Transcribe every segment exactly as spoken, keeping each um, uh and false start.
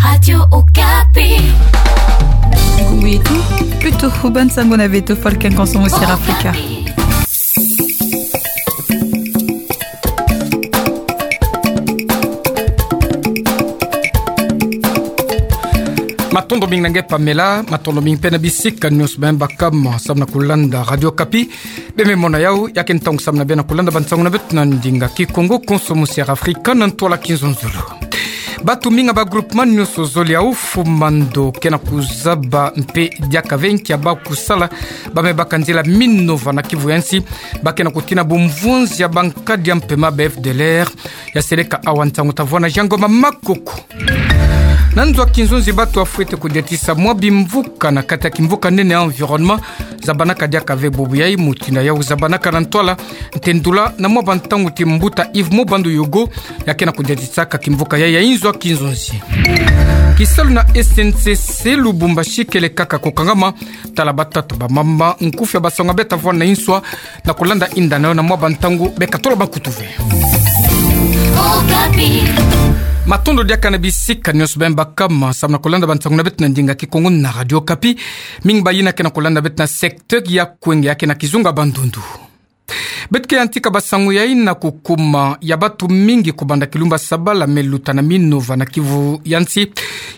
Radio Okapi. Ngui tu, putu huban sango na beto falken konsomo Sierra Africa. Matondo mingi na nge Pamela, matondo mingi pe na bisika nyonso bima baka ma, samu na kulanda Radio Okapi. Bima mona yau, ya ke ntangu samu na bima kulanda bansango na beto na ndinga Kikongo konsomo Sierra Africa na ntwala Kinzonzolo. Batu mingi ya ba groupement nyonso zole ya Oufou-Mando ke na kuzaba mpe diaka ve nki ya bau kusala, bame baka nzila Minova na kivu ya nsi, ba ke na kutina bumvunzi ya bankadi ya mpemba ba F D L R, ya seleka awa ntangu ta vwanda Jean Ngoma Makoko. Na nzo ya kinzonzi batu ya fwete kudiatisa mwa bimvuka na kati ya kimvuka nene ya environnement, zabanaka diaka ve bubu yai, mutindu yau zabanaka na ntwala ntendula na mwa bantangu ti mbuta Yves Mobando Yogo, ya ke na kudiatisaka kimvuka yai ya inzo ya kinzonzi. Kisalu na S N C C Lubumbashi kele kaka kukangama, tala batata bamama, nkufi ya basango beta vwanda na inswa, na kulanda inda na yo na mwa bantangu beka tolo bakutu ve. Okapi. Matondo diaka na bisika nyonso bima baka ma, samu na kulanda bansango na beto na ndinga Kikongo na Radio Okapi. Mingi bayina ke na kulanda beto na secteur ya Kwenge ya ke na kizunga Bandundu. Beto ke yantika basango yai na kukuma ya batu mingi kubanda kilumbu sabala me luta na Minova na kivu ya nsi,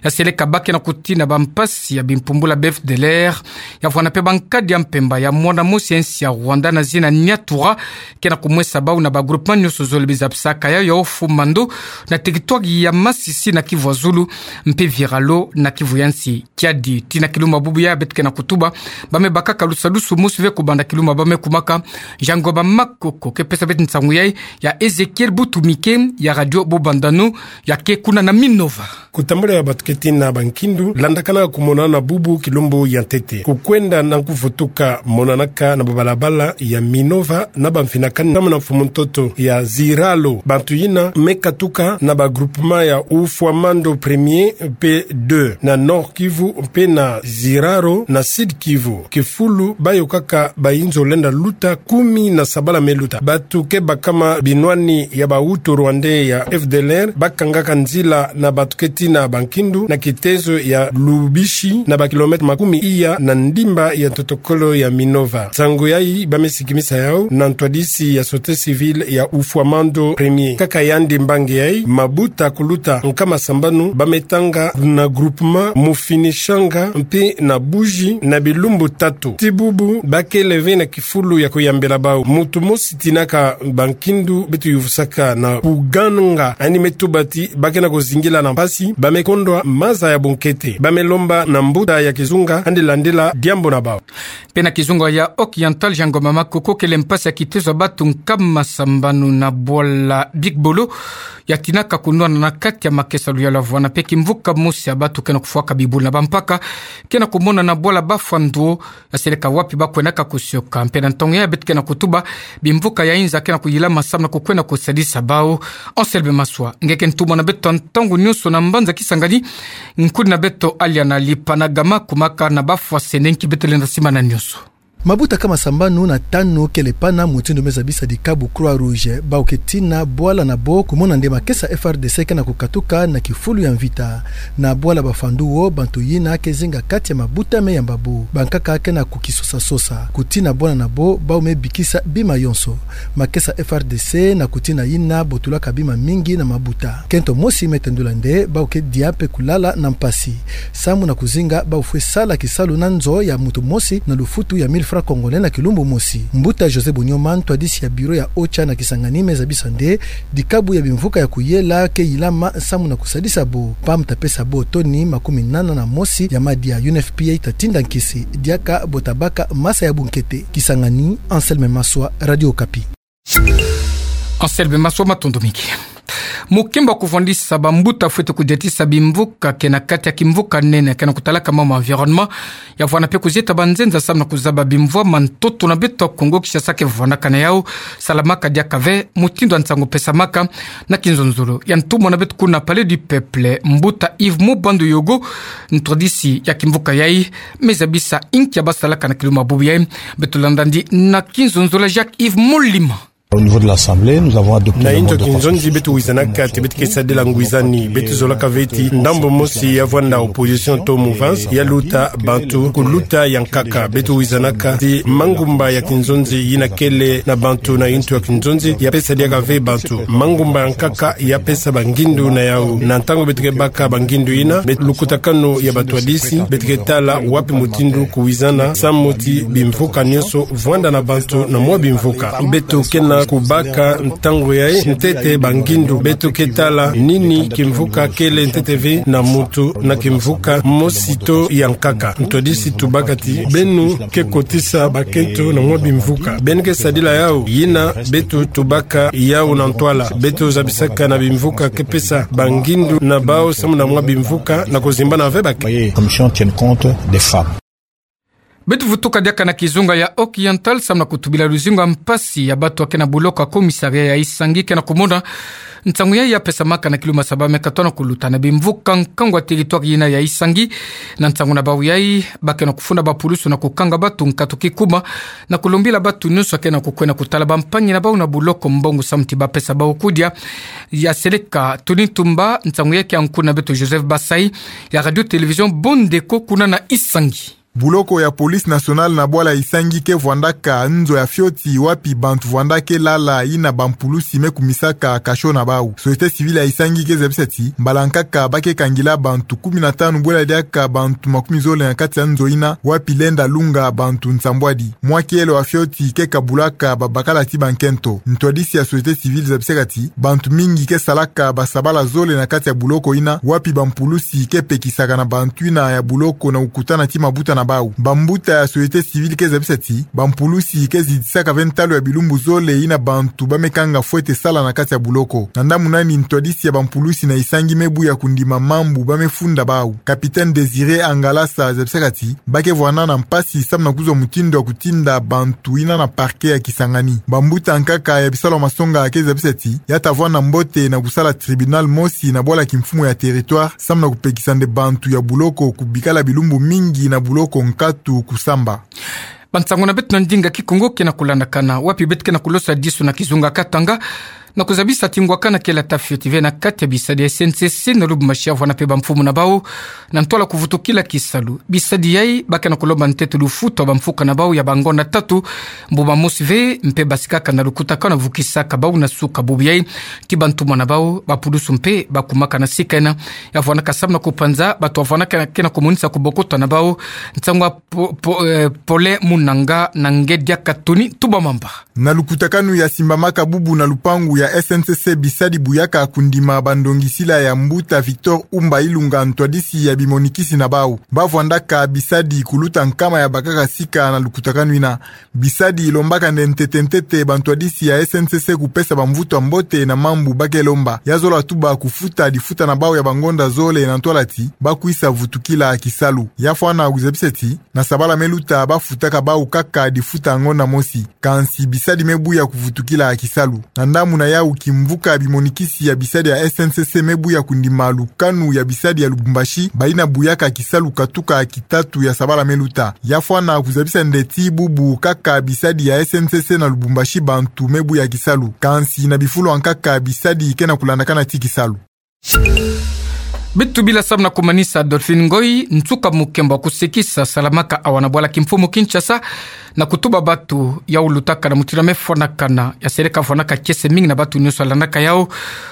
ya seleka ba ke na kutina bampasi ya bimpumbula ba F D L R, ya vwanda mpe bankadi ya mpemba ya mwana mosi ya nsi ya Rwanda na zina Nyatura, ke na kumwesa bau na ba groupement nyonso zole biza bisaka yau ya Oufou-Mando, na territoire ya Masisi na kivu ya zulu, mpe Viralo na kivu ya nsi. Kiadi, tii na kilumbu bubu yai beto ke na kutuba, bame bakaka lusadusu mosi ve kubanda kilumbu bame kumaka. Jean Ngoma Makoko ke pesa beto nsangu yai, ya Ezekiel Butumike ya Radio Bobandano, ya ke kuna na Minova. Kutambula ya batu ke tina bankindu, landakana kumonana bubu kilumbu ya ntete. Kukwenda na kuvutuka monanaka na babalabala ya Minova na bamfinakani samu na mfumu ntoto ya Ziralo. Bantu yina me katuka na ba groupement ya Oufou-Mando premier mpe deux, na Nord-Kivu mpe na Ziralo na Sud-Kivu. Kifulu bayo kaka bayinzo lenda luta kumi na sabala me luta. Batu ke bakama binwani ya ba Hutu rwandais ya F D L R, bakangaka nzila na batu ke tina bankindu na kitezo ya Lubishi na ba kilomètre makumi iya na ndimba ya ntotokolo ya Minova. Nsangu yai bame sikimisa yau na ntwadisi ya société civile ya Oufou-Mando premier. Kaka yandi mbangi yai, mabuta kuluta nkama sambanu bame tanga na groupement Mufinishanga mpe na Buji na bilumbu tatu. Ti bubu, ba kele ve na kifulu ya kuyambela bau. Muntu mosi tinaka bankindu beto yuvusaka na kuganga, yandi me tuba ti ba ke na kuzingila na mpasi, bame kondwa maza ya bunkete. Bame lomba na mbuta ya kizunga yandi landila diambu na bau. Mpe na kizunga ya Occidental, Jean Ngoma Makoko, kele mpasi ya kitezo ya batu nkama sambanu na bwala Big-Bolo, ya tinaka kunwana na kati ya makesa luyalu ya vwanda mpe kimvuka mosi ya batu ke na kufwaka bibulu na bampaka, ke na kumonana bwala Bafwa Nduo, ya seleka wapi ba kwendaka kusioka. Mpe na ntangu yai beto ke na kutuba, bimvuka ya inza ke na kuyilama samu na kukwenda kusadisa bau. Anselme Maswa, nge ke ntumwa na beto ntangu nyonso na mbanza Kisangani, nkuni na beto Aliana Lipanagama, kumaka na Bafwa Sene, nki beto lenda simbana nyonso. Mabuta nkama sambanu na tanu kele pana mutindu me zabisa dikabu Croix-Rouge, bau ke tina bwala na bo kumona nde makesa F R D C ke na kukatuka na kifulu ya mvita. Na bwala Bafwa Nduo, bantu yina ke zinga kati ya mabuta me yamba bo. Bankaka ke na kukisosasosa. Kutina bwala na bo, bau me bikisa bima yonso. Makesa F R D C na kutina yina botulaka bima mingi na mabuta. Kento mosi me tendula nde, bau ke dia mpe kulala na mpasi. Samu na kuzinga bau fwe sala kisalu na nzo ya muntu mosi na lufutu ya mille francs congolais na kilumbu mosi. Mbuta José Bonyoma, ntwadisi ya bureau ya OCHA na Kisangani, me zabisa nde, dikabu ya bimvuka ya kuyela ke yilama samu na kusadisa bo. Pam ta pesa bo toni makumi nana na mosi ya madia. U N F P A ta tinda nkisi, diaka bo ta baka masa ya bunkete. Kisangani, Anselme Maswa, Radio Okapi. Anselme Maswa, matondo mingi. Mukimba kuvwandisa bambuta fwete kudiatisa bimvuka ke na kati ya kimvuka nene ke na kutalaka mambu ma environnement, ya vwanda mpe kuzieta banzenza samu na kuzaba bimvwama ntoto na beto ya Kongo Kinshasa ke vwandaka na yau, salamaka diaka ve, mutindu ya nsangu pesamaka na kinzonzolo ya ntumwa na beto kuna Palais du Peuple, mbuta Yves Mobando Yogo, ntwadisi ya kimvuka yai, me zabisa inki ya basalaka na kilumbu bubu yai. Beto landa ndi na kinzonzolo ya Jacques Yves Molima. Au niveau de l'Assemblée, nous avons adopté... Na le mot de consensus. Nto ya kinzonzi beto wizanaka ti beto ke sadila ngwizani, beto zolaka ve ti ndambu mosi ya vwanda opposition to mouvance, ya luta bantu kuluta ya nkaka. Beto wizanaka ti mangumba ya kinzonzi yina kele na bantu na nto ya kinzonzi, ya pesa diaka ve bantu. Mangumba ya nkaka ya pesa bangindu na yau. Na ntangu beto ke baka bangindu yina, beto lukutakanu ya batwadisi, beto ke tala wapi mutindu kuwizana, samu ti bimvuka nyonso vwanda na bantu na mwa bimvuka. Beto ke na kubaka ntangu yayi ntete bangindu. Beto ke tala nini kimvuka kele ntete ve na muntu na kimvuka mosi to ya nkaka. Ntwadisi tubaka ti beno ke kotisa bakento na mwa bimvuka. Beno ke sadila yau, yina beto tubaka yau na ntwala. Beto zabisaka na bimvuka ke pesa bangindu na bau samu na mwa bimvuka na kuzimbana ve bake. Voyez, commission tienne compte des femmes. Beto vutuka diaka na kizunga ya Occidental samu na kutubila luzingu ya mpasi ya bato ya ke na buloko ya commissariat ya Isangi ke na kumona nsangu yayi ya pesamaka na kilumbu ya saba me katona kuluta na bimvuka nkangu ya territoire yina ya Isangi. Na nsangu na bau yayi, ba ke na kufunda bapulusu na kukanga bato nkatu kikuma, na kulombila bato nyonso ya ke na kukwenda kutala bampangi na bau na buloko mbongo samu ti ba pesa bau kudia. Ya seleka Tony Tumba, nsangu yayi ke ya nkuna beto Joseph Basai, ya Radio Télévision Bondeko kuna na Isangi. Buloko ya Police Nationale na bwala Isangi ke vwandaka nzo ya fioti wapi bantu vwanda ke lala, yina bampulusi me kumisaka cachot na bau. Société civile ya Isangi ke zabisa ti mbala nkaka ba ke kangila bantu kumi na tanu bwela diaka bantu makumi zole na kati ya nzo yina, wapi lenda lunga bantu nsambwadi. Mwa kielo ya fioti ke kabulaka babakala ti bankento. Ntwadisi ya société civile zabisaka ti bantu mingi ke salaka basabala zole na kati ya buloko yina, wapi bampulusi ke pekisaka na bantu yina ya buloko na kukutana ti mabuta na bau. Bambuta ya société civile ke zabisa ti bampulusi ke zidisaka ve ntalu ya bilumbu zole yina bantu ba me kanga fwete sala na kati ya buloko. Na ndambu nani ntwadisi ya bampulusi na Isangi me buya kundima mambu ba me funda bau, Capitaine Désiré Angalasa zabisaka ti ba ke vwanda na mpasi samu na kuzwa mutindu ya kutinda bantu yina na parquet ya Kisangani. Bambuta nkaka ya bisalu ya masonga ke zabisa ti ya ta vwanda mbote na kusala tribunal mosi na bwala kimfumu ya territoire samu na kupekisa nde bantu ya buloko kubikala bilumbu mingi na buloko nkatu kusamba. Bansangu na beto na ndinga Kikongo ke na kulandakana wapi beto ke na kulosadisa na kizunga Katanga, na kuzabisa ti ngwakana kele ata fioti ve na kati ya bisadi ya S N C C na Lubumbashi ya vwanda mpe bamfumu na bau na ntwala kuvutukila kisalu. Bisadi yayi ba ke na kulomba ntete lufutu ya bamfuka na bau ya bangonda tatu, mbuma mosi ve, mpe basikaka na lukutakanu ya vukisaka bau na suka. Bubu yayi, ti bantumwa na bau, bapulusu mpe bakumaka na sika yina ya vwandaka samu na kupanza bato ya vwandaka ke na kumonisa kubokota na bau. Nsangu ya Po-, Po-, eh, Paulin Munanga na ngedi ya Katuni Tubamamba. Na lukutakanu ya simbamaka bubu na lupangu ya S N C C, bisadi buyaka kundima bandongisila ya mbuta Victor Umba Ilunga, ntwadisi ya bimonikisi na bau. Ba vwandaka bisadi kuluta nkama ya bakaka sika na lukutakanu yina. Bisadi ilombaka nde ntete ntete bantwadisi ya S N C C kupesa bamvutu ya mbote na mambu ba ke lomba. Ya zola tuba kufuta difuta na bau ya bangonda zole na ntwala ti ba kwisa vutukila kisalu. Ya fwana kuzabisa ti na sabala me luta ba futaka bau kaka difuta ngonda mosi. Kansi bisadi me buya kuvutukila kisalu. Na ndambu na yau, kimvuka bimonikisi ya bisadi ya S N C C me buya kundima lukanu ya bisadi ya Lubumbashi, bayina buyaka kisalu katuka kitatu ya sabala me luta. Ya fwana kuzabisa nde ti bubu kaka bisadi ya S N C C na Lubumbashi bantu me buya kisalu. Kansi na bifulu ya nkaka bisadi ke na kulandakana ti kisalu. Beto tubila samu na kumanisa Adolphine Ngoy, nsuka mukembo wa kusekisa salamaka awa na bwala kimfumu Kinshasa, na kutuba bato ya ulutaka na mutindu ya me fwanakana, ya seleka fwanaka kiese mingi na bato nyonso ya landaka yau.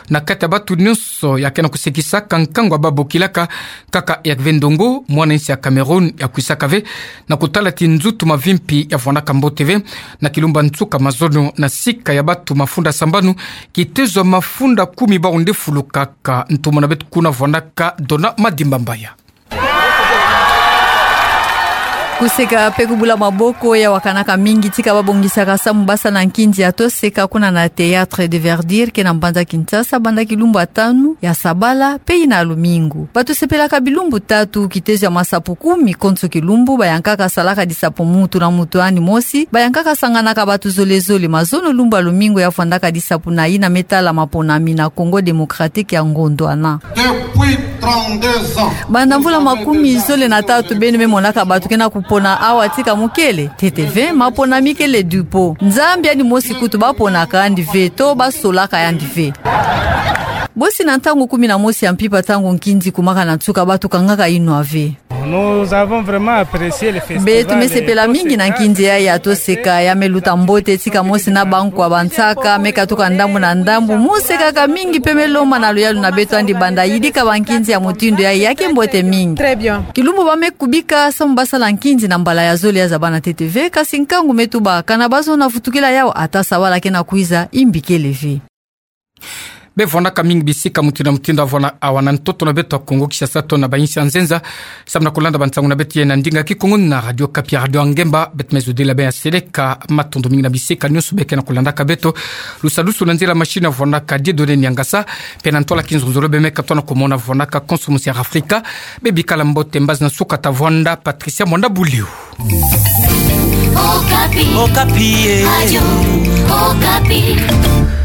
Na kati ya bato nyonso ya ke na kusekisaka nkangu ya babokilaka, kaka Hervé Ndongo, mwana-insi ya Cameroun, ya kwisaka ve na kutala ti nzutu mavimpi ya fwanaka mbote ve na kilumbu ya nsuka mazono na sika ya bato mafunda sambanu, kitezo ya mafunda kumi bau nde fulu kaka. Ntumwa na beto kuna fwanaka Dona Madimba Mbaya. Kuseka mpe kubula maboko ya wakanaka mingi tika babongisaka samu basa na nkinzi ya toseka kuna na Théâtre de Verdure ke na mbanza Kinshasa banda kilumbu ya tanu ya sabala mpe yina lumingu. Bato sepelaka bilumbu tatu, kitezo ya masapo kumi konso kilumbu, bayankaka salaka disapo mutu na mutu yandi mosi, bayankaka sanganaka bato zole zole. Mazono lumbu ya lumingu ya fwandaka disapo na yina me tala maponami na Congo Démocratique ya ngondwana. Depuis Banda mvula makumi zole na tatu beno me monaka bato ke na kupona awa tika mukele. Teteve, maponami kele dupot. Nzambi yandi mosi kutu baponaka yandi ve, to basolaka yandi ve. Bosi na ntangu kumi na mosi ya mpimpa, ntangu nkinzi ekumaka na nsuka, bato kangaka inwa ve. Nous avons vraiment apprécié le festival. Beto me sepela mingi na nkinzi yayi ya Toseka, ya me luta mbote tika mosi na bankwa bansaka me katuka ndambu na ndambu. Mosekaka mingi pe me lomba na luyalu na beto yandi banda yidika bankinzi ya mutindu yayi, ya ke mbote mingi. Très bien. Kilumbu ba me kubika samu ba sala nkinzi na mbala ya zole ya zabana teteve, kasi nkangu me tuba, kana bazono vutukila yawu, ata sabala ke na kwiza, imbi kele ve. Bevwandaka mingi bisika mutindu na mutindu awa na, awa na ntoto na beto ya Kongo Kinshasa to na bayinsi ya nzenza. Samu na kulanda bansangu na beto ya na ndinga Kikongo na Radio Okapi, Radio ya Ngemba, beto me zodila beno ya seleka. Matondo mingi na bisika nyonso beno ke na kulandaka beto. Lusadusu na nzila machine avwandaka Dieudonné Niangasa, pe na ntwala kinzonzolo beno me katoa na kumona avwandaka Konso Music Africa. Bebikala mbote, mbazi na nsuka tavwanda Patricia Mwanda Buliu. Okapi. Okapi, eh. Radio Okapi.